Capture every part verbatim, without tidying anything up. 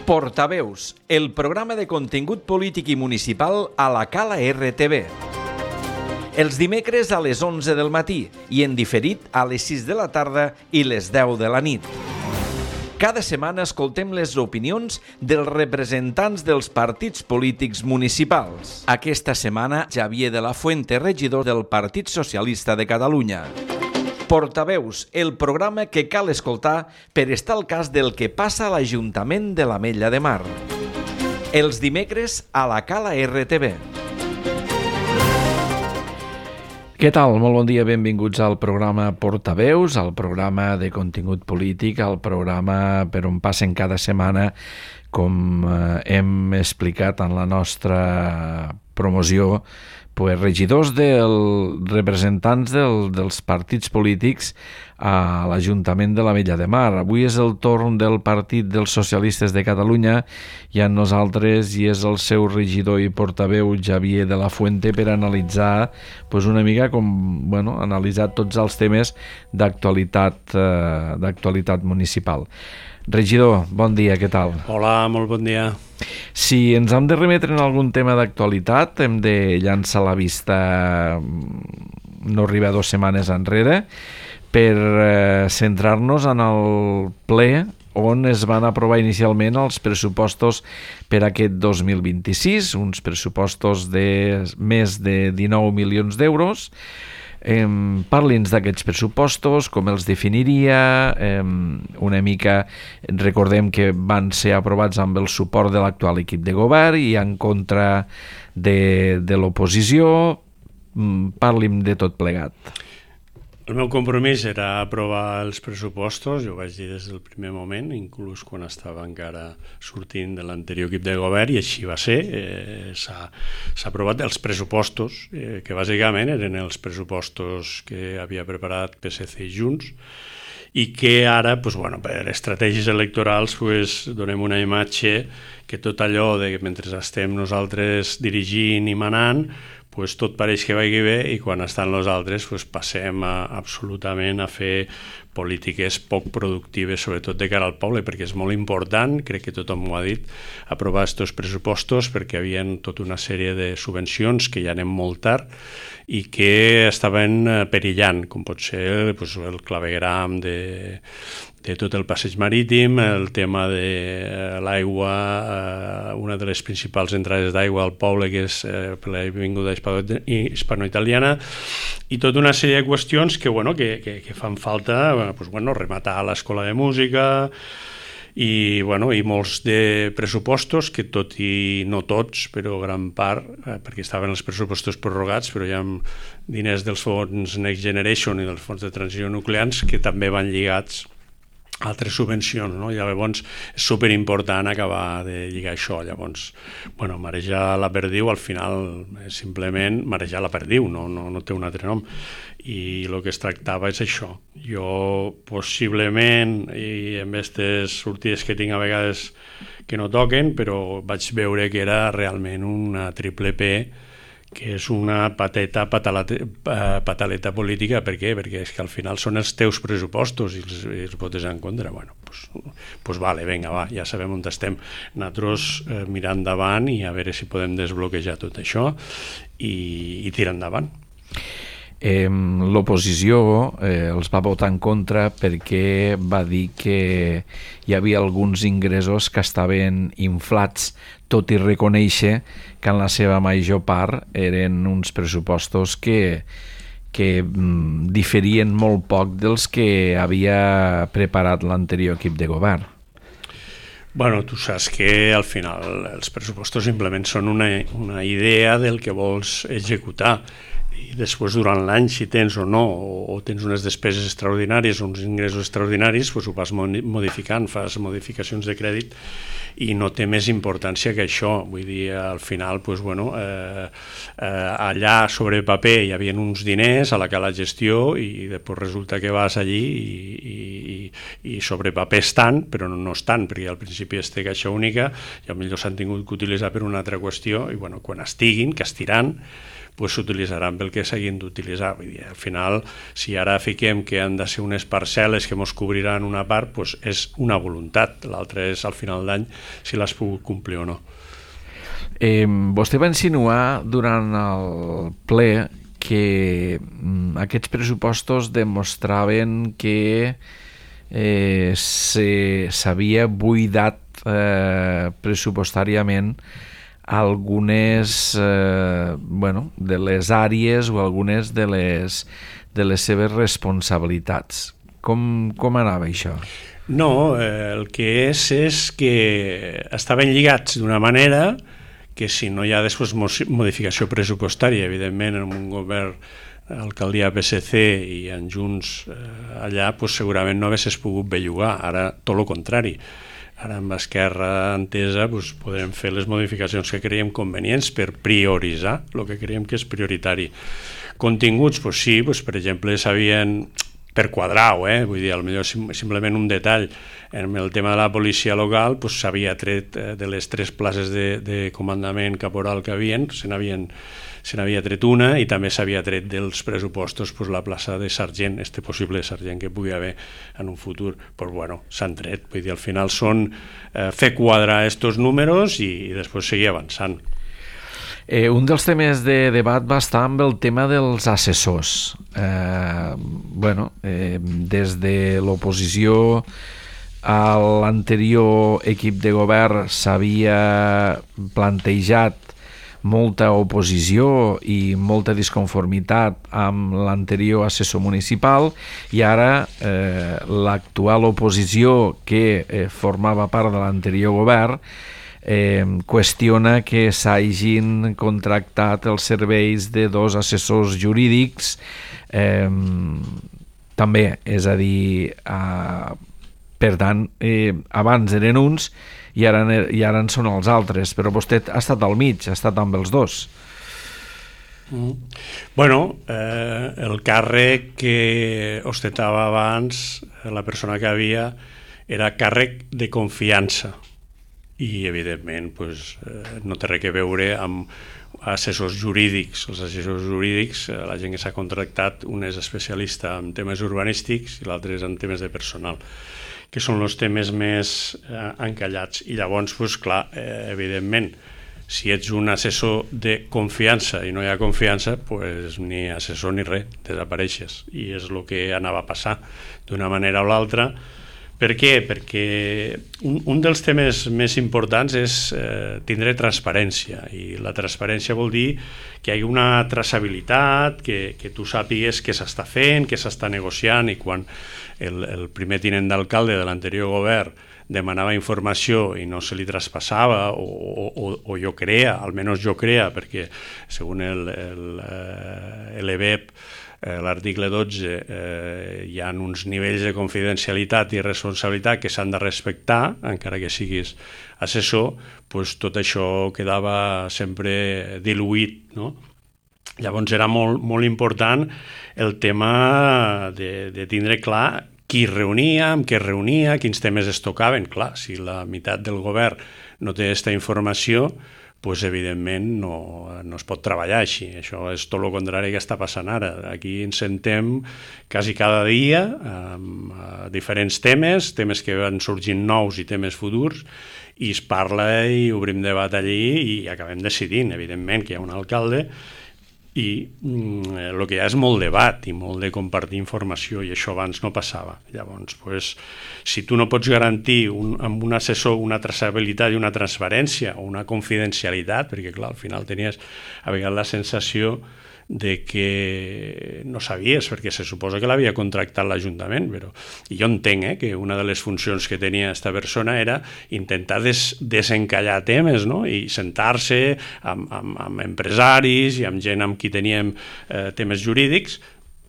Portaveus, el programa de contingut polític i municipal a la Cala R T V. Els dimecres a les onze del matí i en diferit a les sis de la tarda i les deu de la nit. Cada setmana escoltem les opinions dels representants dels partits polítics municipals. Aquesta setmana, Xavier de la Fuente, regidor del Partit Socialista de Catalunya. Portaveus, el programa que cal escoltar per estar al cas del que passa a l'Ajuntament de l'Ametlla de Mar. Els dimecres a la Cala R T V. Què tal? Molt bon dia, benvinguts al programa Portaveus, al programa de contingut polític, al programa per on passen cada setmana, com eh, hem explicat en la nostra promoció, pues, regidors del, representants del, dels partits polítics a l'Ajuntament de l'Ametlla de Mar. Avui és el torn del Partit dels Socialistes de Catalunya i amb nosaltres i és el seu regidor i portaveu Xavier de la Fuente per analitzar pues, una mica com, bueno, analitzar tots els temes d'actualitat, eh, d'actualitat municipal. Regidor, bon dia, què tal? Hola, molt bon dia. Si ens hem de remetre en algun tema d'actualitat, hem de llançar la vista no arriba dues setmanes enrere per eh, centrar-nos en el ple on es van aprovar inicialment els pressupostos per aquest dos mil vint-i-sis, uns pressupostos de més de dinou milions d'euros. Eh, Parli'ns d'aquests pressupostos, com els definiria, eh, una mica, recordem que van ser aprovats amb el suport de l'actual equip de govern i en contra de, de l'oposició. Parli'm de tot plegat. El meu compromís era aprovar els pressupostos, jo ho vaig dir des del primer moment, inclús quan estava encara sortint de l'anterior equip de govern, i així va ser. Eh, s'ha, s'ha aprovat els pressupostos, eh, que bàsicament eren els pressupostos que havia preparat P S C i Junts, i que ara, pues, bueno, per estratègies electorals, pues, donem una imatge que tot allò de que mentre estem nosaltres dirigint i manant, pues tot pareix que vagi bé i quan estan els altres pues passem a, absolutament a fer polítiques poc productives, sobretot de cara al poble, perquè és molt important, crec que tothom ho ha dit, aprovar aquests pressupostos perquè hi havia tota una sèrie de subvencions que ja anem molt tard i que estaven perillant, com pot ser pues, el clavegram de, de tot el passeig marítim, el tema de l'aigua, una de les principals entrades d'aigua al poble, que és eh, per l'avinguda hispano-italiana, i tota una sèrie de qüestions que, bueno, que, que, que fan falta, pues, bueno, rematar l'escola de música, i, bueno, i molts de pressupostos que tot i no tots, però gran part, eh, perquè estaven els pressupostos prorrogats, però hi ha diners dels fons Next Generation i dels fons de transició nuclears que també van lligats a altres subvencions, no? I llavors és superimportant acabar de lligar això. Llavors, bueno, marejar la perdiu al final és simplement marejar la perdiu, no, no, no té un altre nom. I el que es tractava és això. Jo possiblement, i amb aquestes sortides que tinc a vegades que no toquen, però vaig veure que era realment una triple P, que és una pateta, pataleta, pataleta política. Per què? Perquè és que al final són els teus pressupostos i els, i els votes en contra. Bueno, pues, pues vale, vinga, va, ja sabem on estem. Nosaltres eh, mirar endavant i a veure si podem desbloquejar tot això i, i tirar endavant. Eh, l'oposició eh, els va votar en contra perquè va dir que hi havia alguns ingressos que estaven inflats, tot i reconèixer que en la seva major part eren uns pressupostos que, que mm, diferien molt poc dels que havia preparat l'anterior equip de govern. Bueno, tu saps que al final els pressupostos simplement són una, una idea del que vols executar. I després durant l'any, si tens o no, o tens unes despeses extraordinàries o uns ingressos extraordinaris, doncs ho vas modificant, fas modificacions de crèdit i no té més importància que això. Vull dir, al final, doncs, bueno, eh, eh, allà sobre paper hi havia uns diners a la que la gestió i després resulta que vas allí i, i, i sobre paper estan, però no estan, perquè al principi es té caixa única i potser s'han tingut que utilitzar per una altra qüestió i bueno, quan estiguin, que estiran, pues s'utilitzaran pel que s'hagin d'utilitzar. Vull dir, al final, si ara fiquem que han de ser unes parcel·les que ens cobriran una part, pues és una voluntat, l'altra és al final d'any si l'has pogut complir o no. Eh, vostè va insinuar durant el ple que mm, aquests pressupostos demostraven que eh, s'havia buidat eh, pressupostàriament algunes eh, bueno, de les àrees o algunes de les, de les seves responsabilitats. Com, com anava això? No, eh, el que és és que estaven lligats d'una manera que si no hi ha després modificació pressupostària, evidentment en un govern alcaldia P S C i en Junts eh, allà, pues, segurament no haguessis pogut bellugar, ara tot el contrari. Ara amb Esquerra Entesa doncs, podrem fer les modificacions que creiem convenients per prioritzar el que creiem que és prioritari. Continguts, doncs sí, doncs, per exemple, s'havien per quadrar-ho, eh? Vull dir, potser simplement un detall, en el tema de la policia local doncs, s'havia tret de les tres places de, de comandament caporal que havien, se n'havien se n'havia tret una i també s'havia tret dels pressupostos pues, la plaça de sergent, este possible sergent que pugui haver en un futur, pues, bueno, s'han tret. Vull dir, al final són eh, fer quadrar estos números i, i després seguir avançant. Eh, un dels temes de debat va estar amb el tema dels assessors. Eh, bueno, eh, des de l'oposició a l'anterior equip de govern s'havia plantejat molta oposició i molta disconformitat amb l'anterior assessor municipal i ara eh, l'actual oposició que eh, formava part de l'anterior govern eh, qüestiona que s'hagin contractat els serveis de dos assessors jurídics eh, també, és a dir, eh, per tant, eh, abans eren uns i ara, i ara en són els altres, però vostè ha estat al mig, ha estat amb els dos. Mm. Bueno, eh, el càrrec que ostentava abans la persona que havia era càrrec de confiança i evidentment pues, eh, no té res a veure amb assessors jurídics. Els assessors jurídics, eh, la gent que s'ha contractat, un és especialista en temes urbanístics i l'altre és en temes de personal, que són els temes més eh, encallats. I llavors, pues, clar, eh, evidentment, si ets un assessor de confiança i no hi ha confiança, pues, ni assessor ni res, desapareixes. I és el que anava a passar d'una manera o l'altra. Per què? Perquè un, un dels temes més importants és eh, tindre transparència, i la transparència vol dir que hi ha una traçabilitat, que, que tu sàpigues què s'està fent, què s'està negociant, i quan el, el primer tinent d'alcalde de l'anterior govern demanava informació i no se li traspassava, o, o, o jo creia, almenys jo creia, perquè segons el, el, el E B E P, Eh, l'article dotze, eh, hi ha uns nivells de confidencialitat i responsabilitat que s'han de respectar, encara que siguis assessor, doncs tot això quedava sempre diluït, no? Llavors era molt, molt important el tema de, de tindre clar qui reunia, amb què reunia, quins temes es tocaven. Clar, si la meitat del govern no té aquesta informació, pues evidentment no, no es pot treballar així. Això és tot el contrari que està passant ara. Aquí ens sentem quasi cada dia amb uh, diferents temes, temes que van sorgint nous i temes futurs, i es parla i obrim debat allí i acabem decidint, evidentment, que hi ha un alcalde i mm, el que hi ha és molt debat i molt de compartir informació, i això abans no passava. Llavors, pues, si tu no pots garantir un, amb un assessor una traçabilitat i una transparència o una confidencialitat, perquè clar, al final tenies a vegades la sensació de que no sabies, perquè se suposa que l'havia contractat l'Ajuntament, però i jo entenc eh, que una de les funcions que tenia aquesta persona era intentar des, desencallar temes, no? I sentar-se amb, amb, amb empresaris i amb gent amb qui teníem eh, temes jurídics,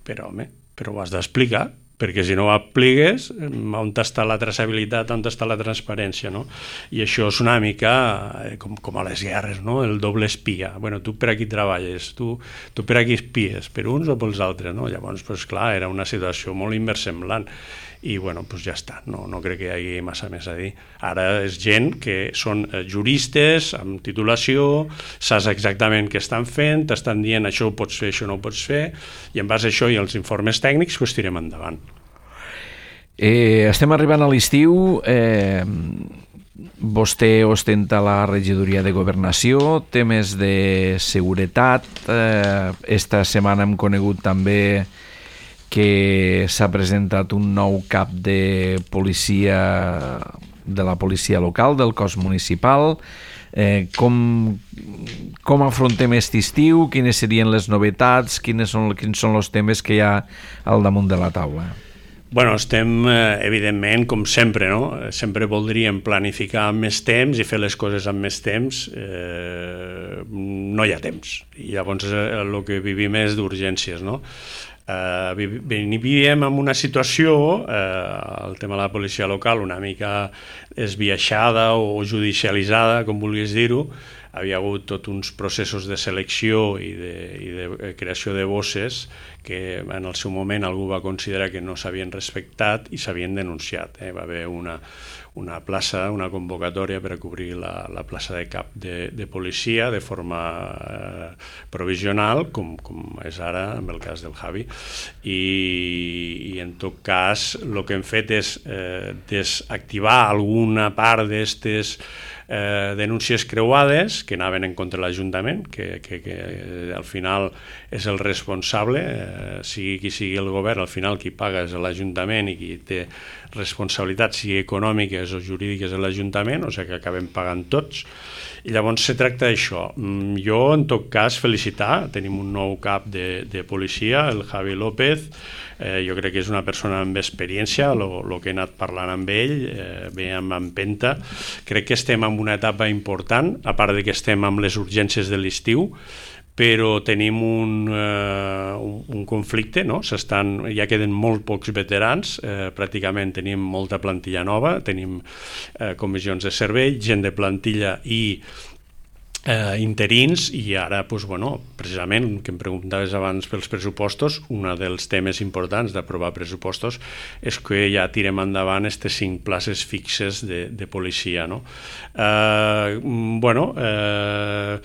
però home, però ho has d'explicar, perquè si no ho apliques, on està la traçabilitat, on està la transparència, no? I això és una mica eh, com, com a les guerres, no? El doble espia. Bueno, tu per aquí treballes, tu, tu per aquí espies, per uns o pels altres, no? Llavors, pues, clar, era una situació molt inversemblant. i bueno, doncs ja està, no, no crec que hi hagi massa més a dir. Ara és gent que són juristes amb titulació, saps exactament què estan fent, t'estan dient això ho pots fer, això no ho pots fer, i en base a això i els informes tècnics doncs tirem endavant. Eh, estem arribant a l'estiu, eh, vostè ostenta la regidoria de Governació, temes de seguretat, eh, esta setmana hem conegut també que s'ha presentat un nou cap de policia de la policia local, del cos municipal. Eh, com, com afrontem aquest estiu? Quines serien les novetats? Quines són, quins són els temes que hi ha al damunt de la taula? Bueno, estem, evidentment, com sempre, no? Sempre voldríem planificar amb més temps i fer les coses amb més temps. Eh, no hi ha temps. I llavors el que vivim és d'urgències, no? Eh, vivíem en una situació, eh, el tema de la policia local, una mica esbiaixada o judicialitzada, com vulguis dir-ho. Havia hagut tots uns processos de selecció i de, i de creació de bosses que en el seu moment algú va considerar que no s'havien respectat i s'havien denunciat. Eh? Va haver una, una plaça, una convocatòria per a cobrir la, la plaça de cap de, de policia de forma eh, provisional, com, com és ara en el cas del Javi. I, i en tot cas el que hem fet és eh, desactivar alguna part d'aquestes Eh, denúncies creuades que anaven en contra de l'Ajuntament, que, que, que eh, al final és el responsable, eh, sigui qui sigui el govern, al final qui paga és l'Ajuntament i qui té responsabilitats, sigui econòmiques o jurídiques de l'Ajuntament, o sigui que acabem pagant tots. I llavors se tracta d'això. Jo, en tot cas, felicitar, tenim un nou cap de, de policia, el Javi López. Eh, jo crec que és una persona amb experiència, el que he anat parlant amb ell, eh, bé amb empenta. Crec que estem en una etapa important, a part de que estem amb les urgències de l'estiu, però tenim un, eh, un, un conflicte, no? S'estan, ja queden molt pocs veterans, eh, pràcticament tenim molta plantilla nova, tenim eh, comissions de servei, gent de plantilla i Eh, interins, i ara, doncs, bueno, precisament, que em preguntaves abans pels pressupostos, un dels temes importants d'aprovar pressupostos és que ja tirem endavant aquestes cinc places fixes de, de policia, no? Eh, bueno, eh,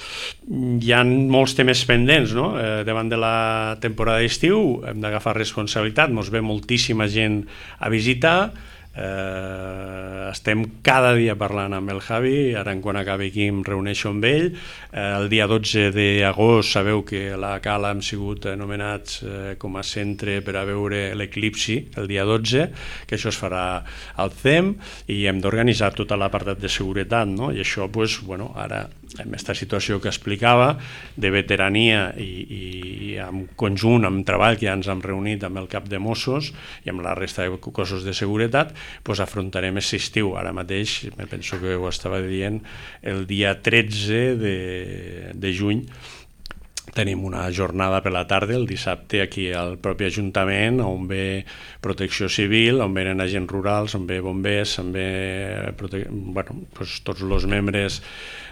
hi ha molts temes pendents, no? Eh, davant de la temporada d'estiu hem d'agafar responsabilitat, ens ve moltíssima gent a visitar. Eh, estem cada dia parlant amb el Javi, ara quan acabi aquí em reuneixo amb ell. Eh, el dia dotze d'agost sabeu que a la Cala hem sigut nomenats eh, com a centre per a veure l'eclipsi el dia dotze, que això es farà al C E M, i hem d'organitzar tota l'apartat de seguretat, no? I això, pues, bueno, ara en aquesta situació que explicava de veterania i, i en conjunt amb treball que ja ens hem reunit amb el cap de Mossos i amb la resta de cossos de seguretat, pues afrontarem aquest estiu. Ara mateix, me penso que ho estava dient, el dia tretze de, de juny tenim una jornada per la tarda, el dissabte, aquí al propi Ajuntament, on ve Protecció Civil, on venen agents rurals, on ve bombers, on ve prote... bueno, pues, tots els membres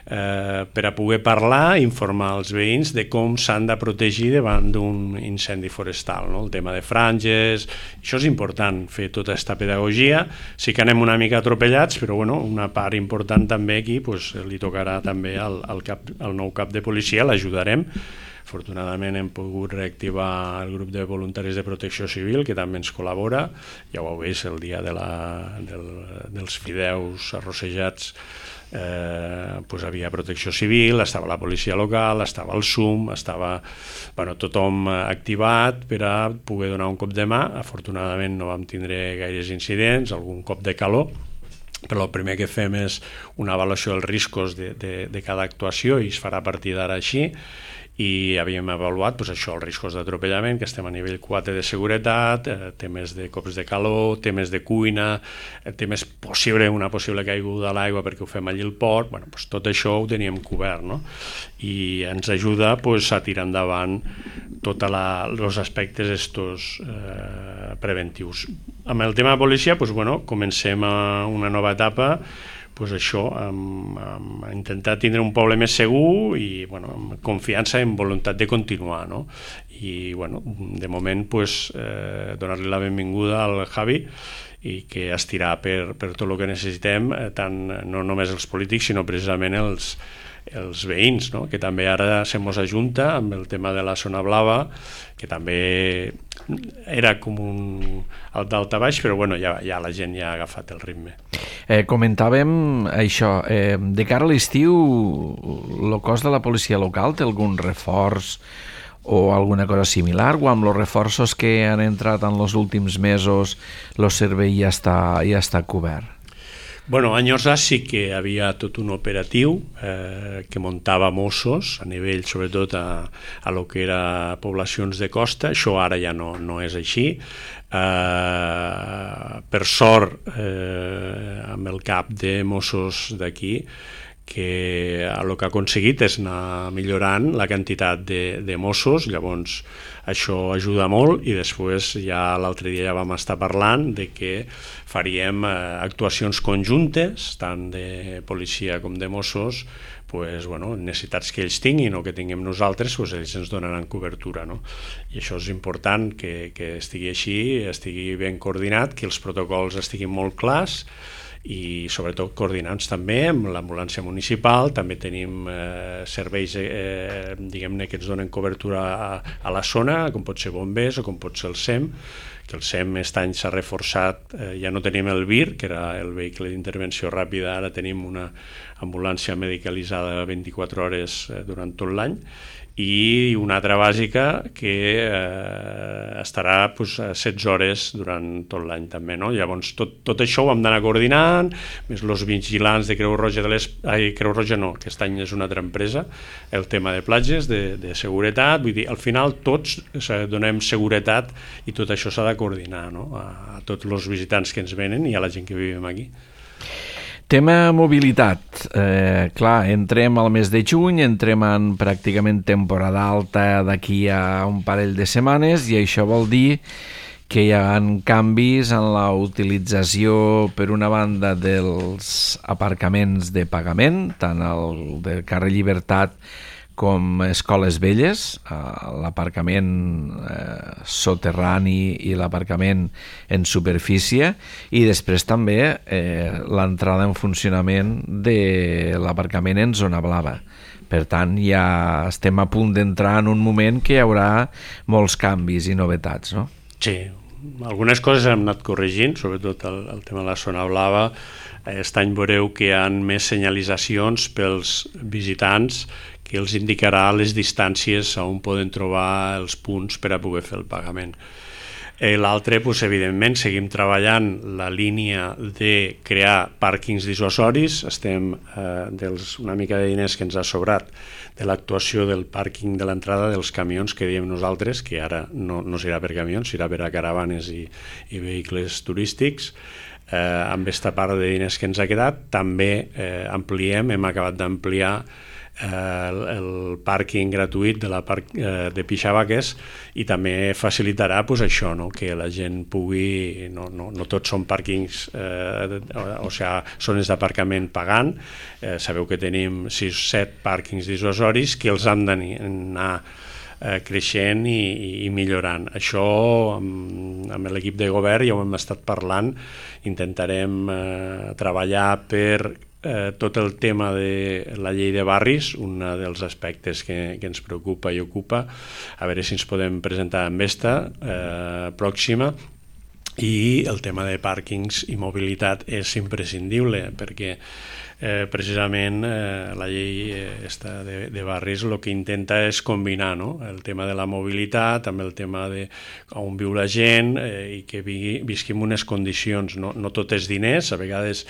eh, per a poder parlar i informar els veïns de com s'han de protegir davant d'un incendi forestal, no? El tema de franges, això és important, fer tota aquesta pedagogia. Sí que anem una mica atropellats, però bueno, una part important també aquí pues, li tocarà també al, al, cap, al nou cap de policia, l'ajudarem. Afortunadament hem pogut reactivar el grup de voluntaris de protecció civil, que també ens col·labora. Ja ho heu vist el dia de la, del, dels fideus arrossejats, eh, pues havia protecció civil, estava la policia local, estava el S U M, estava bueno, tothom activat per a poder donar un cop de mà. Afortunadament no vam tindre gaires incidents, algun cop de calor, però el primer que fem és una avaluació dels riscos de, de, de cada actuació i es farà a partir d'ara així. I havíem avaluat doncs, això, els riscos d'atropellament, que estem a nivell quatre de seguretat, eh, temes de cops de calor, temes de cuina, eh, temes possible, una possible caiguda a l'aigua perquè ho fem allí al port, bueno, doncs, tot això ho teníem cobert, no? I ens ajuda doncs, a tirar endavant tots els aspectes estos, eh, preventius. Amb el tema de policia, doncs, bueno, comencem a una nova etapa, pues això, amb, amb intentar tindre un poble més segur i bueno, amb confiança i amb voluntat de continuar, no? I bueno, de moment pues, eh, donar-li la benvinguda al Javi i que estirar per, per tot el que necessitem, eh, tant no només els polítics, sinó precisament els, els veïns, no? Que també ara se mos ajunta amb el tema de la zona blava, que també era com un d'alta-baix, però bueno, ja, ja la gent ja ha agafat el ritme. Eh, comentàvem això, eh, de cara a l'estiu, el cos de la policia local té algun reforç o alguna cosa similar, o amb els reforços que han entrat en els últims mesos el servei ja està, ja està cobert? Bueno, a Enyosa sí que hi havia tot un operatiu eh, que muntava Mossos a nivell, sobretot a, a lo que era poblacions de costa. Això ara ja no, no és així. Eh, per sort, eh, amb el cap de Mossos d'aquí, que el que ha aconseguit és anar millorant la quantitat de, de Mossos, llavors això ajuda molt, i després ja l'altre dia ja vam estar parlant de que faríem eh, actuacions conjuntes, tant de policia com de Mossos, pues, bueno, necessitats que ells tinguin o que tinguem nosaltres, pues, ells ens donaran cobertura, no? I això és important que, que estigui així, estigui ben coordinat, que els protocols estiguin molt clars, i sobretot coordinats també amb l'ambulància municipal. També tenim eh, serveis eh, diguem-ne que ens donen cobertura a, a la zona, com pot ser bombers o com pot ser el SEM, que el SEM aquest any s'ha reforçat, eh, ja no tenim el V I R, que era el vehicle d'intervenció ràpida, ara tenim una ambulància medicalitzada vint-i-quatre hores eh, durant tot l'any, i una altra bàsica que eh, estarà pues, setze hores durant tot l'any també, no? Llavors tot, tot això ho hem d'anar coordinant, més els vigilants de Creu Roja de les... Ai, Creu Roja no, que aquest any és una altra empresa, el tema de platges, de, de seguretat, vull dir, al final tots o sigui, donem seguretat i tot això s'ha de coordinar, no? a, a tots els visitants que ens venen i a la gent que vivim aquí. Tema mobilitat. Eh, clar, entrem al mes de juny, entrem en pràcticament temporada alta d'aquí a un parell de setmanes, i això vol dir que hi ha canvis en la utilització, per una banda, dels aparcaments de pagament, tant el del carrer Llibertat com Escoles Velles, l'aparcament eh, soterrani i l'aparcament en superfície, i després també eh, l'entrada en funcionament de l'aparcament en zona blava. Per tant, ja estem a punt d'entrar en un moment que hi haurà molts canvis i novetats, no? Sí, algunes coses hem anat corregint, sobretot el, el tema de la zona blava. Aquest any veureu que hi ha més senyalitzacions pels visitants que els indicarà les distàncies on poden trobar els punts per a poder fer el pagament. Eh, L'altre, doncs, evidentment, seguim treballant la línia de crear pàrquings dissuasoris. Estem eh, dels, una mica de diners que ens ha sobrat de l'actuació del pàrquing de l'entrada dels camions que diem nosaltres, que ara no, no serà per camions, serà per a caravanes i, i vehicles turístics. Eh, amb aquesta part de diners que ens ha quedat, també eh, ampliem, hem acabat d'ampliar el, el pàrquing gratuït de la parc, eh, de Pixavaques, i també facilitarà pues, això, no? Que la gent pugui, no, no, no tots són pàrquings, eh, o, o sigui, zones d'aparcament pagant. Eh, sabeu que tenim sis o set pàrquings dissuasoris que els han d'anar eh, creixent i, i millorant. Això amb, amb l'equip de govern ja ho hem estat parlant, intentarem eh, treballar per Eh, tot el tema de la llei de barris, un dels aspectes que, que ens preocupa i ocupa, a veure si ens podem presentar amb esta eh, pròxima. I el tema de pàrquings i mobilitat és imprescindible, perquè eh, precisament eh, la llei eh, esta de, de barris el que intenta és combinar, no? El tema de la mobilitat amb el tema de on viu la gent eh, i que vi, visquim unes condicions, no, no tot és diners, a vegades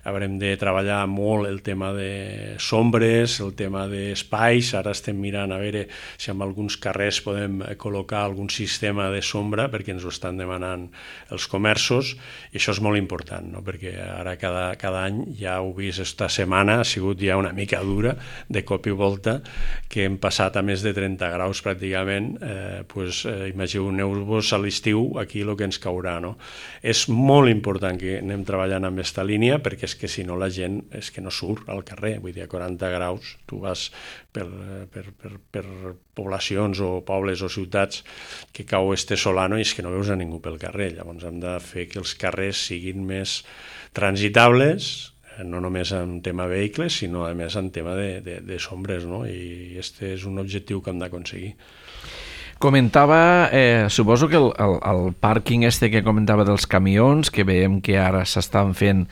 haurem de treballar molt el tema de sombres, el tema d'espais. Ara estem mirant a veure si en alguns carrers podem col·locar algun sistema de sombra, perquè ens ho estan demanant els comerços, i això és molt important, no? Perquè ara cada, cada any ja heu vist aquesta setmana ha sigut ja una mica dura, de cop i volta, que hem passat a més de trenta graus pràcticament, eh, pues, eh, imagineu-vos a l'estiu aquí el que ens caurà, no? És molt important que anem treballant amb aquesta línia, perquè és que si no la gent és que no surt al carrer, vull dir, a quaranta graus tu vas per, per, per, per poblacions o pobles o ciutats que cau este solano i és que no veus a ningú pel carrer. Llavors hem de fer que els carrers siguin més transitables, no només en tema vehicles, sinó a més en tema de, de, de sombres, no? I este és un objectiu que hem d'aconseguir. Comentava, eh, suposo que el, el, el pàrquing este que comentava dels camions, que veiem que ara s'estan fent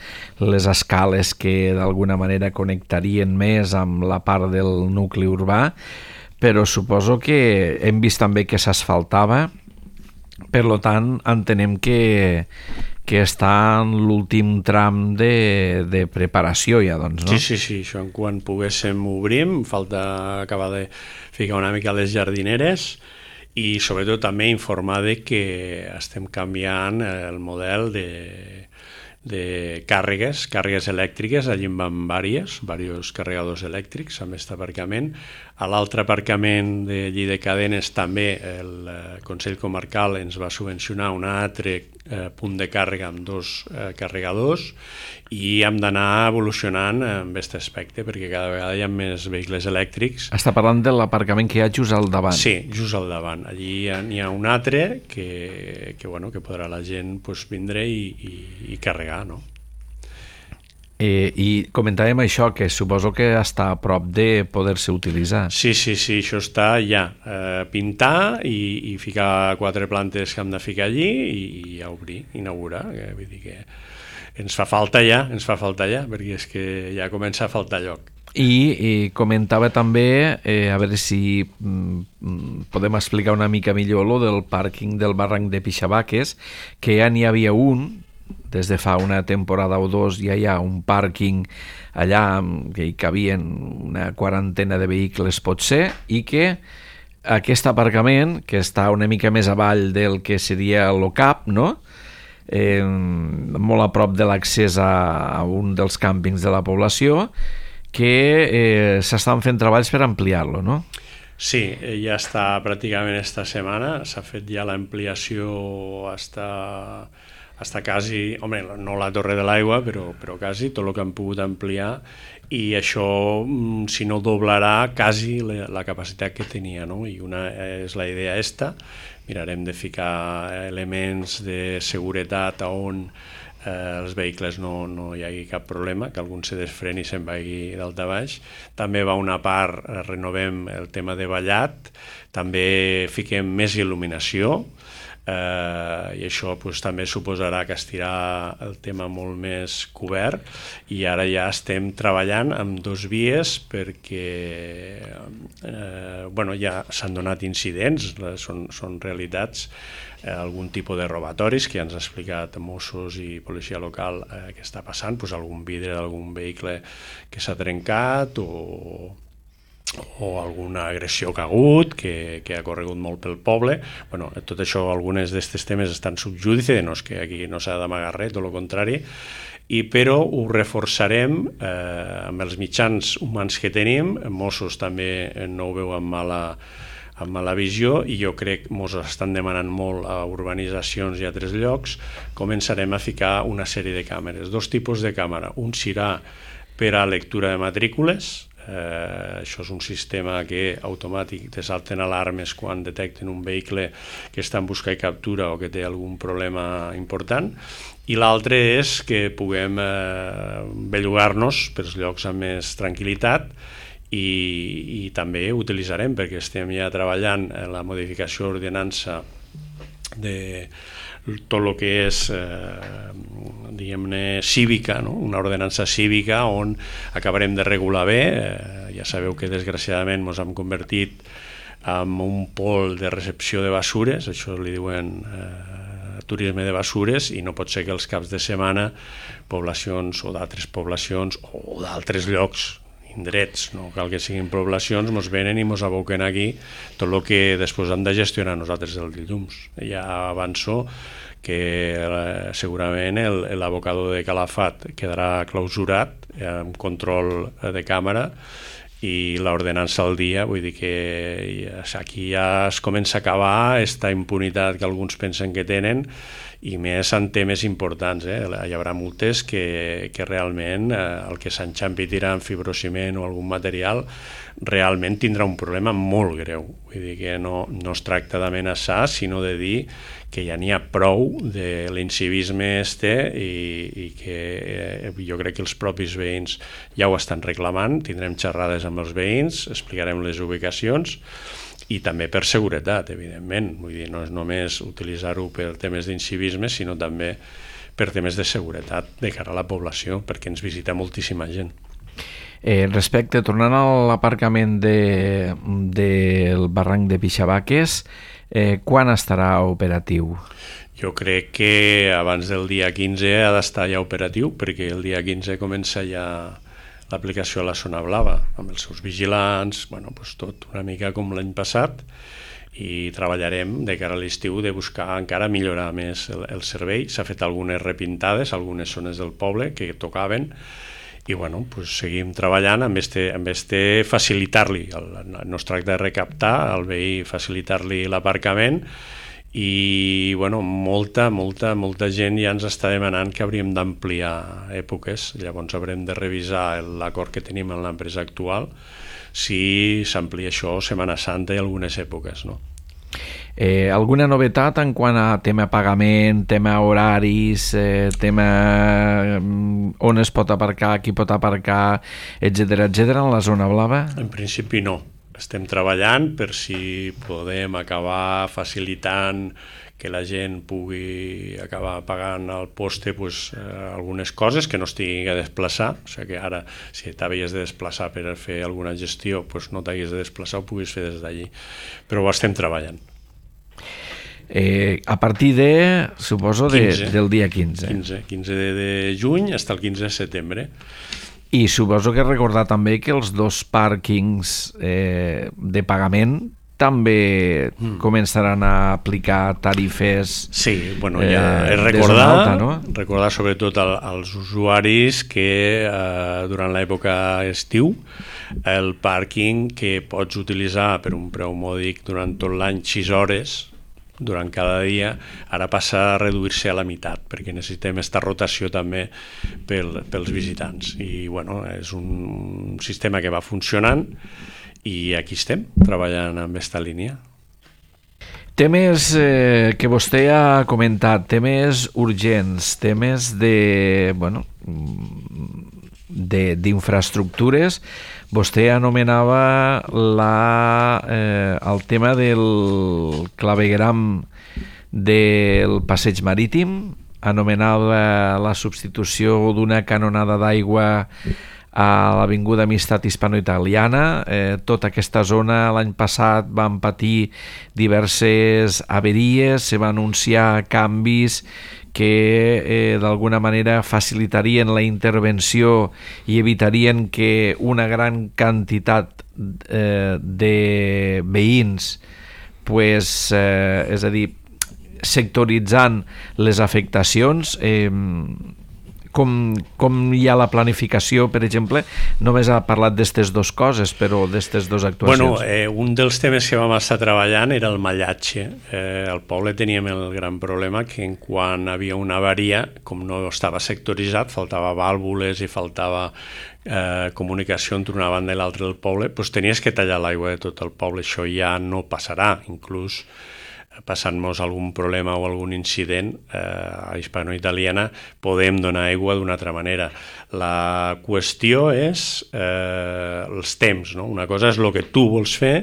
les escales que d'alguna manera connectarien més amb la part del nucli urbà, però suposo que hem vist també que s'asfaltava, per tant entenem que, que està en l'últim tram de, de preparació ja, doncs, no? Sí, sí, sí, això en quan poguéssim obrim, falta acabar de ficar una mica les jardineres i sobretot també informar de que estem canviant el model de, de càrregues, càrregues elèctriques, allí en van diversos, diversos carregadors elèctrics amb aquest aparcament. A l'altre aparcament de Lli de Cadenes també el Consell Comarcal ens va subvencionar un altre eh, punt de càrrega amb dos eh, carregadors i hem d'anar evolucionant en aquest aspecte perquè cada vegada hi ha més vehicles elèctrics. Està parlant de l'aparcament que hi ha just al davant. Sí, just al davant. Allí hi ha, hi ha un altre que, que, bueno, que podrà la gent pues, vindre i, i, i carregar, no? Eh, I comentàvem això, que suposo que està a prop de poder-se utilitzar. Sí, sí, sí, això està ja. Eh, pintar i, i ficar quatre plantes que hem de ficar allí i, i ja obrir, inaugurar. Eh, vull dir que ens fa falta ja, ens fa falta ja, perquè és que ja comença a faltar lloc. I, i comentava també, eh, a veure si mm, podem explicar una mica millor lo del pàrquing del barranc de Pixabaques, que ja n'hi havia un, des de fa una temporada o dos ja hi ha un pàrquing allà que hi cabien una quarantena de vehicles potser, i que aquest aparcament, que està una mica més avall del que seria l'O C A P, no? Eh, molt a prop de l'accés a, a un dels càmpings de la població, que eh, s'estan fent treballs per ampliar-lo, no? Sí, ja està pràcticament esta setmana, s'ha fet ja l'ampliació hasta... està quasi, home, no la Torre de l'Aigua, però, però quasi, tot el que han pogut ampliar, i això, si no doblarà, quasi la, la capacitat que tenia, no? I una és la idea esta, mirarem de ficar elements de seguretat on eh, els vehicles no, no hi hagi cap problema, que algun se desfreni i se'n vagi d'alta baix. També va una part, renovem el tema de ballat, també fiquem més il·luminació, Uh, i això pues, també suposarà que estirà el tema molt més cobert, i ara ja estem treballant amb dos vies perquè uh, bueno, ja s'han donat incidents, són, són realitats, uh, algun tipus de robatoris que ja ens ha explicat Mossos i policia local uh, que està passant, pues, algun vidre d'algun vehicle que s'ha trencat o o alguna agressió que ha hagut, que, que ha corregut molt pel poble. Bueno, tot això, algunes d'aquests temes estan subjúdice, no és que aquí no s'ha d'amagar res, tot el contrari, i però ho reforçarem eh, amb els mitjans humans que tenim. Mossos també no ho veu amb mala, amb mala visió, i jo crec que Mossos estan demanant molt a urbanitzacions i a altres llocs. Començarem a ficar una sèrie de càmeres, dos tipus de càmera. Un serà per a lectura de matrícules. Eh, això és un sistema que automàtic te salten alarmes quan detecten un vehicle que està en busca i captura o que té algun problema important, i l'altre és que puguem eh, bellugar-nos pels llocs amb més tranquil·litat, i, i també utilitzarem, perquè estem ja treballant en la modificació d'ordenança de tot el que és eh, diguem-ne cívica, no? Una ordenança cívica on acabarem de regular bé. Eh, ja sabeu que desgraciadament ens hem convertit en un pol de recepció de basures, això li diuen eh, turisme de basures, i no pot ser que els caps de setmana poblacions o d'altres poblacions o d'altres llocs, indrets, no cal que siguin poblacions, ens venen i ens aboquen aquí tot el que després hem de gestionar nosaltres els dilluns. Ja avanço que eh, segurament l'abocador de Calafat quedarà clausurat amb control de càmera i l'ordenança al dia, vull dir que aquí ja es comença a acabar aquesta impunitat que alguns pensen que tenen, i més en temes importants. Eh? Hi haurà multes que, que realment eh, el que s'enxampi tirant fibrociment o algun material realment tindrà un problema molt greu. Vull dir que no, no es tracta d'amenaçar, sinó de dir que ja n'hi ha prou de l'incivisme este i, i que eh, jo crec que els propis veïns ja ho estan reclamant. Tindrem xerrades amb els veïns, explicarem les ubicacions, i també per seguretat, evidentment. Vull dir, no és només utilitzar-ho per temes d'incivisme, sinó també per temes de seguretat de cara a la població, perquè ens visita moltíssima gent. Eh, respecte, tornant a l'aparcament de, del barranc de Pixabaques, eh, quan estarà operatiu? Jo crec que abans del dia quinze ha d'estar ja operatiu, perquè el dia quinze comença ja l'aplicació a la zona blava, amb els seus vigilants, bueno, doncs tot una mica com l'any passat, i treballarem de cara a l'estiu de buscar encara millorar més el, el servei. S'ha fet algunes repintades, algunes zones del poble que tocaven, i bueno, doncs seguim treballant amb este, amb este facilitar-li, no es tracta de recaptar, al veí facilitar-li l'aparcament, i bueno, molta, molta, molta gent ja ens està demanant que hauríem d'ampliar èpoques. Llavors haurem de revisar l'acord que tenim amb l'empresa actual, si s'amplia això Setmana Santa i algunes èpoques, no? Eh, alguna novetat en quant a tema pagament, tema horaris, eh, tema on es pot aparcar, qui pot aparcar, etcètera, etcètera, en la zona blava? En principi no. Estem treballant per si podem acabar facilitant que la gent pugui acabar pagant al poste pues, eh, algunes coses, que no es tingui que desplaçar. O sigui que ara, si t'havies de desplaçar per fer alguna gestió, pues no t'haguis de desplaçar, ho puguis fer des d'allí. Però ho estem treballant. Eh, a partir de, suposo, de, quinze, del dia quinze. quinze, quinze de, de juny fins al quinze de setembre. I suposo que recordar també que els dos pàrquings eh, de pagament també mm. començaran a aplicar tarifes. Sí, bueno, ja és recordar, eh, alta, no? recordar sobretot al, als usuaris que eh, durant l'època estiu el pàrquing que pots utilitzar per un preu mòdic durant tot l'any sis hores durant cada dia, ara passa a reduir-se a la meitat, perquè necessitem aquesta rotació també pel, pels visitants. I bueno, és un sistema que va funcionant i aquí estem, treballant amb aquesta línia. Temes eh, que vostè ha comentat, temes urgents, temes de, bueno, de, d'infraestructures. Vostè anomenava la, eh, el tema del clavegueram del passeig marítim, anomenava la substitució d'una canonada d'aigua a l'Avinguda Amistat Hispano-Italiana. Eh, tota aquesta zona l'any passat van patir diverses averies, se van anunciar canvis que eh, d'alguna manera facilitarien la intervenció i evitarien que una gran quantitat eh, de veïns, pues, eh, és a dir, sectoritzant les afectacions, eh, com, com hi ha la planificació, per exemple. Només ha parlat d'aquestes dues coses, però d'aquestes dues actuacions. Bueno, eh, un dels temes que vam estar treballant era el mallatge. Eh, al poble teníem el gran problema que en quan havia una avaria, com no estava sectoritzat, faltava vàlvules i faltava eh, comunicació entre una banda i l'altra del poble, doncs tenies que tallar l'aigua de tot el poble. Això ja no passarà, inclús passant-nos algun problema o algun incident eh, a Hispano-Italiana podem donar aigua d'una altra manera. La qüestió és eh, els temps, no? Una cosa és el que tu vols fer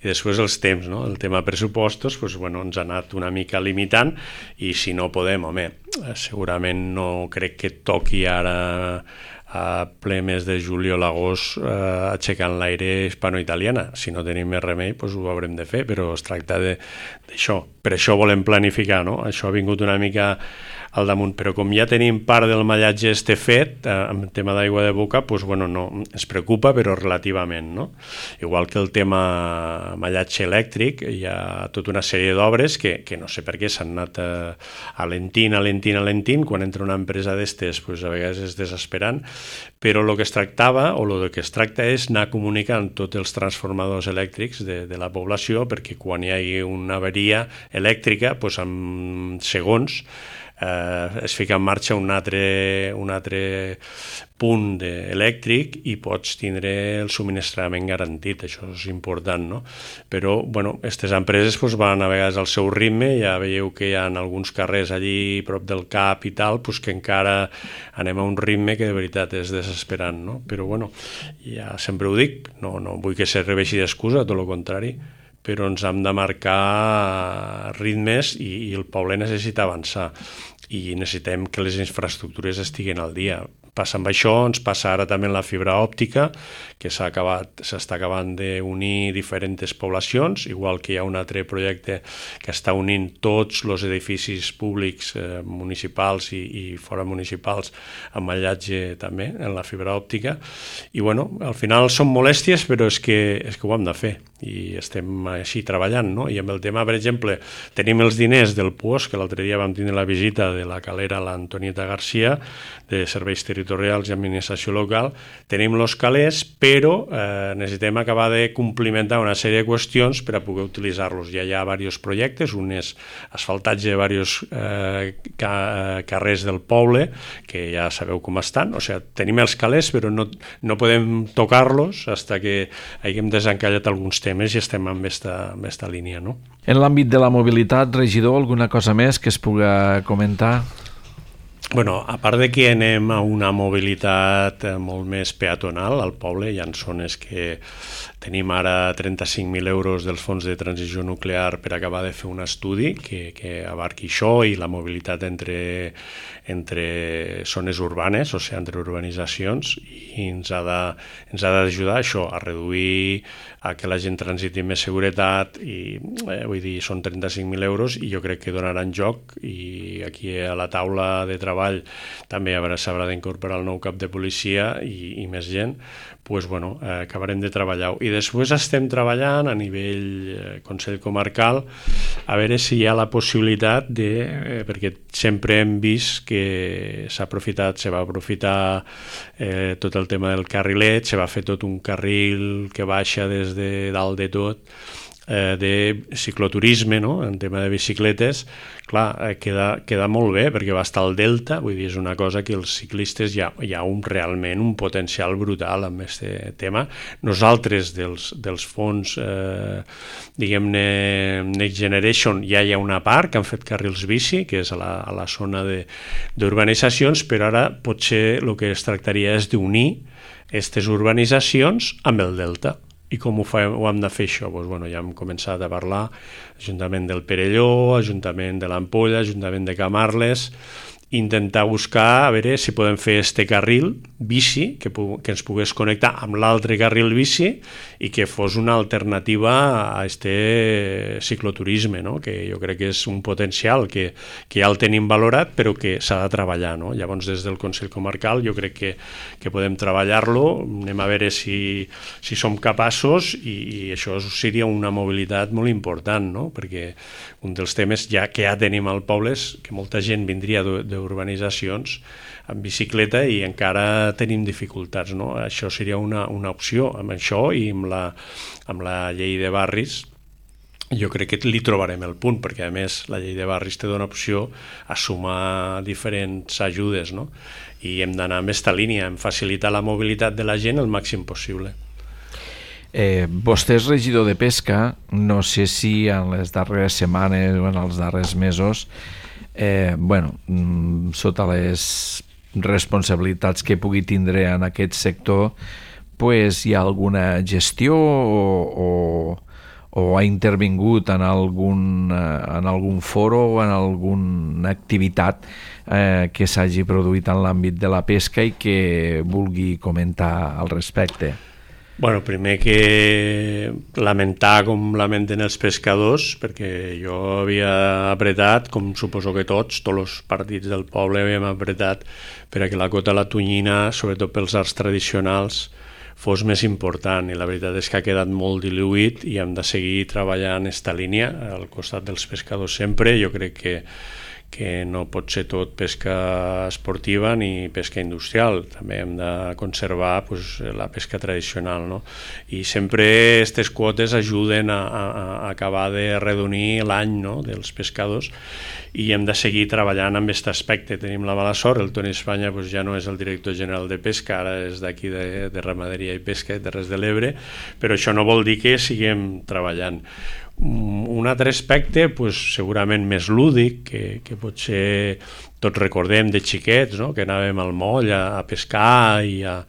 i després els temps, no? El tema pressupostos pues, bueno, ens ha anat una mica limitant i si no podem, home, segurament no crec que toqui ara a ple mes de juliol, agost, eh, aixecant l'aire hispano-italiana. Si no tenim més remei, doncs ho haurem de fer, però es tracta d'això. Per això volem planificar, no? Això ha vingut una mica al damunt, però com ja tenim part del mallatge este fet, eh, amb el tema d'aigua de boca, doncs, bueno, no, ens preocupa, però relativament, no? Igual que el tema mallatge elèctric, hi ha tota una sèrie d'obres que, que no sé per què s'han anat a, alentint, alentint, alentint, quan entra una empresa d'estes, doncs, a vegades és desesperant, però el que es tractava, o el que es tracta és anar comunicant tots els transformadors elèctrics de, de la població, perquè quan hi hagi una avaria elèctrica, doncs en segons eh, es fica en marxa un altre, un altre punt elèctric i pots tindre el subministrament garantit, això és important, no? Però, bueno, aquestes empreses doncs, van a vegades al seu ritme, ja veieu que hi ha alguns carrers allí prop del cap i tal, doncs que encara anem a un ritme que de veritat és desesperant, no? Però, bueno, ja sempre ho dic, no, no vull que serveixi d'excusa, tot el contrari, però ens hem de marcar ritmes i, i el poble necessita avançar i necessitem que les infraestructures estiguin al dia. Passa amb això, ens passa ara també en la fibra òptica, que s'ha acabat, s'està acabant d'unir diferents poblacions, igual que hi ha un altre projecte que està unint tots els edificis públics eh, municipals i, i fora municipals amb mallatge també en la fibra òptica. I bueno, al final són molèsties, però és que, és que ho hem de fer i estem així treballant, no? I amb el tema, per exemple, tenim els diners del P U O S, que l'altre dia vam tenir la visita de la calera, l'Antonieta Garcia, de Serveis Territorials i Administració Local, tenim els calés, però eh, necessitem acabar de complementar una sèrie de qüestions per a poder utilitzar-los. Ja hi ha diversos projectes, un és asfaltatge de diversos eh, ca carrers del poble, que ja sabeu com estan, o sigui, tenim els calés, però no, no podem tocar-los fins que haguem desencallat alguns temes i estem en aquesta línia, no? En l'àmbit de la mobilitat, regidor, alguna cosa més que es pugui comentar? Bueno, a part de que anem a una mobilitat molt més peatonal al poble, hi ha zones que tenim ara trenta-cinc mil euros dels fons de transició nuclear per acabar de fer un estudi que, que abarqui això i la mobilitat entre, entre zones urbanes, o sigui, entre urbanitzacions, i ens ha de, ens ha d'ajudar això, a reduir, a que la gent transiti amb més seguretat, i eh, vull dir, són trenta-cinc mil euros i jo crec que donaran joc, i aquí a la taula de treball també s'haurà d'incorporar el nou cap de policia i, i més gent, pues, bueno, eh, acabarem de treballar-ho. I després estem treballant a nivell eh, Consell Comarcal a veure si hi ha la possibilitat de, eh, perquè sempre hem vist que s'ha aprofitat, se va aprofitar eh, tot el tema del carrilet, se va fer tot un carril que baixa des de dalt de tot, eh, de cicloturisme, no? En tema de bicicletes, clar, eh, queda, queda molt bé perquè va estar al delta, vull dir, és una cosa que els ciclistes hi ha, hi ha un, realment un potencial brutal amb aquest tema. Nosaltres, dels, dels fons, eh, diguem-ne, Next Generation, ja hi ha una part que han fet carrils bici, que és a la, a la zona d'urbanitzacions, però ara potser el que es tractaria és d'unir aquestes urbanitzacions amb el delta. I com ho, fa, ho hem de fer això? Doncs, bueno, ja hem començat a parlar Ajuntament del Perelló, Ajuntament de l'Ampolla, Ajuntament de Camarles, intentar buscar a veure si podem fer este carril bici que, que ens pogués connectar amb l'altre carril bici i que fos una alternativa a este cicloturisme, no? Que jo crec que és un potencial que, que ja el tenim valorat però que s'ha de treballar, no? Llavors des del Consell Comarcal jo crec que, que podem treballar-lo, anem a veure si, si som capaços i, i això seria una mobilitat molt important, no? Perquè un dels temes ja que ja tenim al poble és que molta gent vindria d'urbanitzacions amb bicicleta i encara tenim dificultats, no? Això seria una, una opció. Amb això i amb la, amb la llei de barris jo crec que li trobarem el punt, perquè a més la llei de barris te dona opció a sumar diferents ajudes, no? I hem d'anar en aquesta línia, en facilitar la mobilitat de la gent el màxim possible. Eh, vostè és regidor de Pesca, no sé si en les darreres setmanes o en els darrers mesos, eh, bueno, sota les responsabilitats que pugui tindre en aquest sector, pues, hi ha alguna gestió o, o, o ha intervingut en algun, en algun foro o en alguna activitat eh, que s'hagi produït en l'àmbit de la pesca i que vulgui comentar al respecte. Bueno, primer que lamentar com lamenten els pescadors, perquè jo havia apretat, com suposo que tots, tots els partits del poble havíem apretat perquè la cota de la tonyina, sobretot pels arts tradicionals, fos més important, i la veritat és que ha quedat molt diluït i hem de seguir treballant esta línia al costat dels pescadors sempre. Jo crec que que no pot ser tot pesca esportiva ni pesca industrial, també hem de conservar pues, la pesca tradicional, no? I sempre aquestes quotes ajuden a, a, a acabar de redonir l'any, no?, dels pescadors, i hem de seguir treballant amb aquest aspecte. Tenim la mala sort, el Toni Espanya pues, ja no és el director general de pesca, ara és d'aquí de, de Ramaderia i Pesca de Terres de l'Ebre, però això no vol dir que siguem treballant. Un altre aspecte pues, segurament més lúdic, que, que potser tots recordem de xiquets, no?, que anàvem al moll a, a pescar i, a,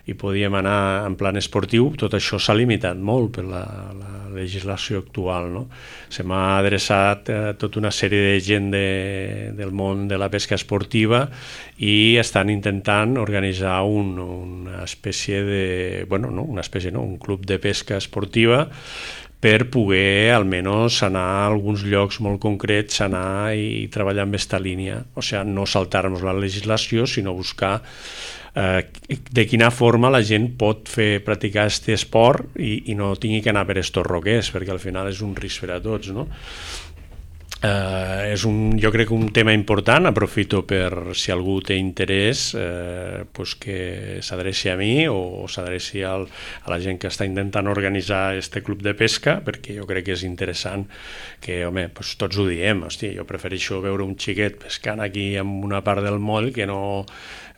i podíem anar en plan esportiu. Tot això s'ha limitat molt per la, la legislació actual, no? Se m'ha adreçat eh, tota una sèrie de gent de, del món de la pesca esportiva i estan intentant organitzar un, una espècie de... bueno, no, una espècie, no, un club de pesca esportiva per poder almenys anar a alguns llocs molt concrets, anar i treballar amb aquesta línia. O sigui, no saltar-nos la legislació, sinó buscar eh, de quina forma la gent pot fer practicar aquest esport i, i no tingui que anar per estos roquers, perquè al final és un risc per a tots, no? Uh, és un, jo crec que un tema important. Aprofito per, si algú té interès, eh, pues que s'adreci a mi o, o s'adreci al, a la gent que està intentant organitzar este club de pesca, perquè jo crec que és interessant que, home, pues tots ho diem, hosti, jo prefereixo veure un xiquet pescant aquí en una part del moll que no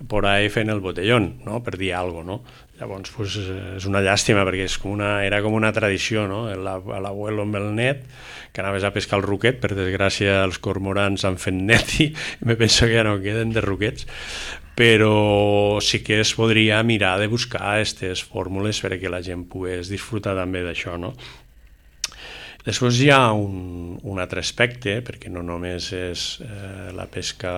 por ahí fent el botellón, no?, per dir alguna cosa, no? Llavors, pues, és una llàstima, perquè és com una, era com una tradició, no?, l'abuelo amb el net, que anaves a pescar el ruquet. Per desgràcia els cormorans han fet net i me penso que ja no queden de ruquets, però sí que es podria mirar de buscar aquestes fórmules perquè la gent pogués disfrutar també d'això, no? Després hi ha un, un altre aspecte, perquè no només és eh, la pesca,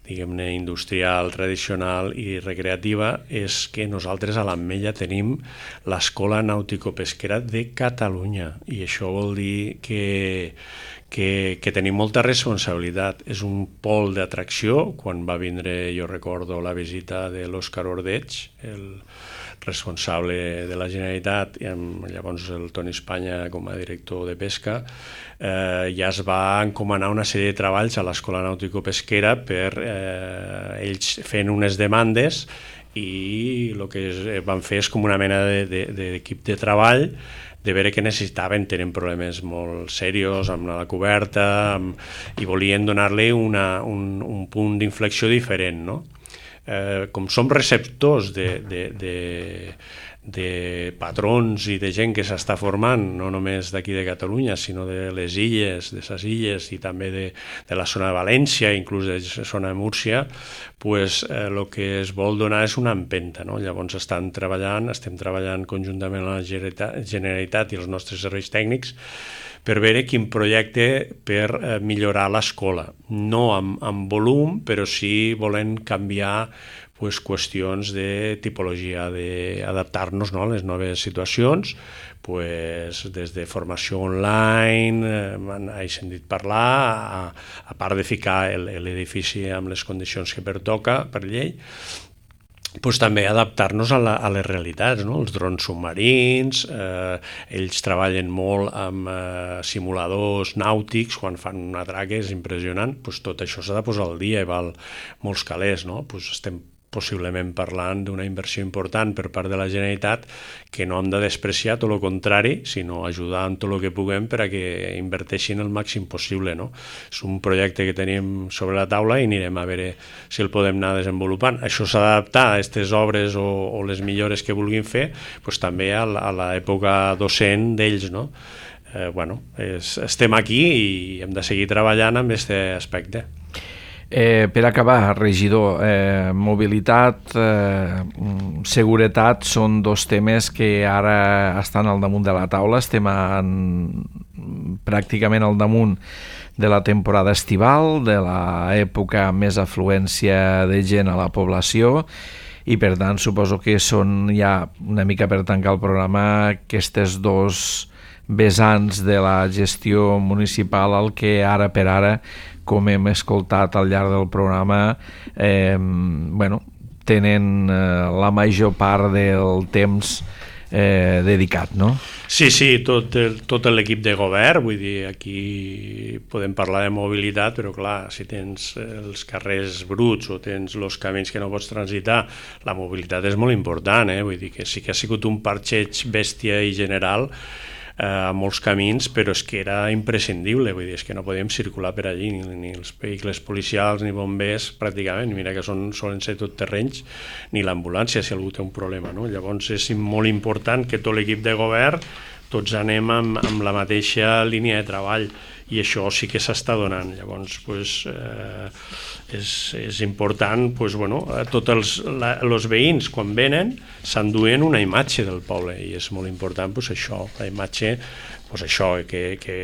diguem-ne, industrial, tradicional i recreativa, és que nosaltres a l'Ametlla tenim l'Escola Nàutico-Pesquera de Catalunya, i això vol dir que, que, que tenim molta responsabilitat. És un pol d'atracció. Quan va vindre, jo recordo la visita de l'Òscar Ordeig, el responsable de la Generalitat, i amb, llavors el Toni Espanya com a director de pesca, eh, ja es va encomanar una sèrie de treballs a l'Escola Nàutico-Pesquera per eh, ells fent unes demandes, i el que es, van fer és com una mena d'equip de, de, de treball de veure què necessitaven. Tenen problemes molt serios amb la coberta, amb, i volien donar-li una, un, un punt d'inflexió diferent, no? Eh, com som receptors de, de, de, de patrons i de gent que s'està formant, no només d'aquí de Catalunya, sinó de les illes, de les illes i també de, de la zona de València, inclús de la zona de Múrcia, pues, eh, el que es vol donar és una empenta, no? Llavors estan treballant, estem treballant conjuntament amb la Generalitat i els nostres serveis tècnics per veure quin projecte per eh, millorar l'escola. No amb, amb volum, però sí volent canviar pues, qüestions de tipologia, d'adaptar-nos, no?, a les noves situacions, pues, des de formació online, eh, he sentit parlar, a, a part de ficar l'edifici amb les condicions que pertoca per llei, pues també adaptar-nos a, la, a les realitats, no? Els drons submarins, eh, ells treballen molt amb eh, simuladors nàutics, quan fan un atrac és impressionant, pues tot això s'ha de posar al dia i val molts calés, no? Pues estem possiblement parlant d'una inversió important per part de la Generalitat que no hem de despreciar, tot el contrari, sinó ajudar en tot el que puguem per a que inverteixin el màxim possible, no? És un projecte que tenim sobre la taula i anirem a veure si el podem anar desenvolupant. Això s'ha d'adaptar a aquestes obres o, o les millores que vulguin fer, pues, també a l'època docent d'ells, no? Eh, bueno, és, estem aquí i hem de seguir treballant amb aquest aspecte. Eh, per acabar, regidor, eh, mobilitat, eh, seguretat són dos temes que ara estan al damunt de la taula. Estem en, pràcticament al damunt de la temporada estival, de l'època amb més afluència de gent a la població, i per tant suposo que són ja una mica per tancar el programa aquestes dos vessants de la gestió municipal al que ara per ara, com hem escoltat al llarg del programa, eh, bueno, tenen eh, la major part del temps eh, dedicat, no? Sí, sí, tot, el, tot l'equip de govern, vull dir, aquí podem parlar de mobilitat, però clar, si tens els carrers bruts o tens els camins que no pots transitar, la mobilitat és molt important, eh? Vull dir que sí que ha sigut un parxeig bèstia i general a molts camins, però és que era imprescindible, vull dir, és que no podíem circular per allí, ni, ni els vehicles policials ni bombers, pràcticament, mira que són, solen ser tot terrenys, ni l'ambulància si algú té un problema, no? Llavors és molt important que tot l'equip de govern tots anem amb, amb la mateixa línia de treball, i això sí que s'està donant. Llavors pues, eh, és, és important, pues, bueno, tots els la, els veïns quan venen s'enduen una imatge del poble, i és molt important pues, això, la imatge, pues, això, que, que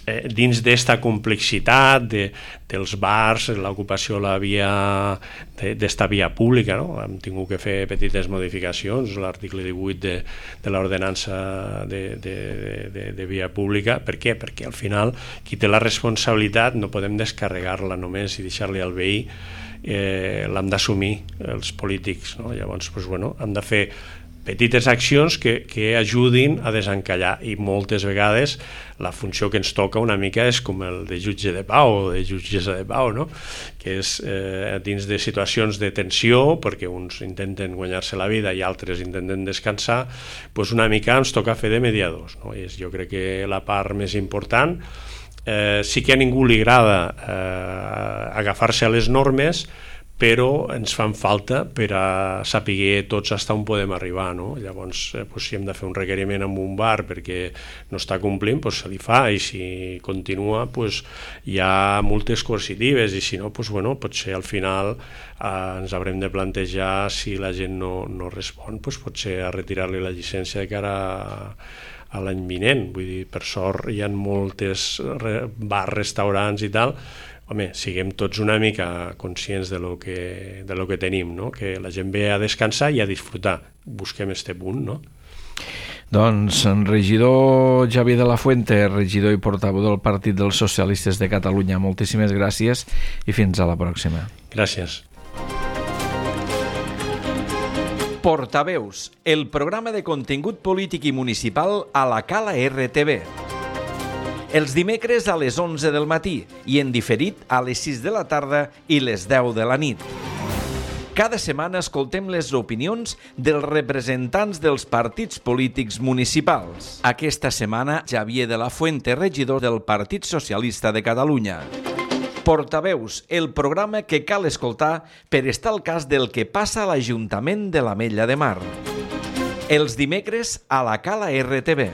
eh, dins d'esta complexitat de, dels bars, l'ocupació la via d'esta via pública, no? Hem tingut que fer petites modificacions, l'article divuit de, de l'ordenança de, de, de, de via pública. Per què? Perquè al final qui té la responsabilitat no podem descarregar-la només i deixar-li al veí, eh, l'hem d'assumir els polítics, no? Llavors pues, bueno, hem de fer petites accions que, que ajudin a desencallar, i moltes vegades la funció que ens toca una mica és com el de jutge de pau o de jutgessa de pau, no? Que és eh, dins de situacions de tensió, perquè uns intenten guanyar-se la vida i altres intenten descansar, doncs una mica ens toca fer de mediadors, no? I és, jo crec que la part més important. Eh, sí que a ningú li agrada eh, agafar-se a les normes, però ens fan falta per a saber tots fins on podem arribar, no? Llavors, eh, pues, si hem de fer un requeriment amb un bar perquè no està complint, pues, se li fa, i si continua pues, hi ha multes coercitives, i si no, pues, bueno, potser al final eh, ens haurem de plantejar, si la gent no, no respon, pues, potser a retirar-li la llicència de cara a, a l'any vinent. Vull dir, per sort hi ha moltes re, bars, restaurants i tal. Home, siguem tots una mica conscients de lo que, de lo que tenim, no? Que la gent ve a descansar i a disfrutar. Busquem este punt, no? Doncs regidor Xavier de la Fuente, regidor i portaveu del Partit dels Socialistes de Catalunya, moltíssimes gràcies i fins a la pròxima. Gràcies. Portaveus, el programa de contingut polític i municipal a la Cala R T V. Els dimecres a les onze del matí i en diferit a les sis de la tarda i les deu de la nit. Cada setmana escoltem les opinions dels representants dels partits polítics municipals. Aquesta setmana, Xavier de la Fuente, regidor del Partit Socialista de Catalunya. Portaveus, el programa que cal escoltar per estar al cas del que passa a l'Ajuntament de l'Ametlla de Mar. Els dimecres a la Cala R T V.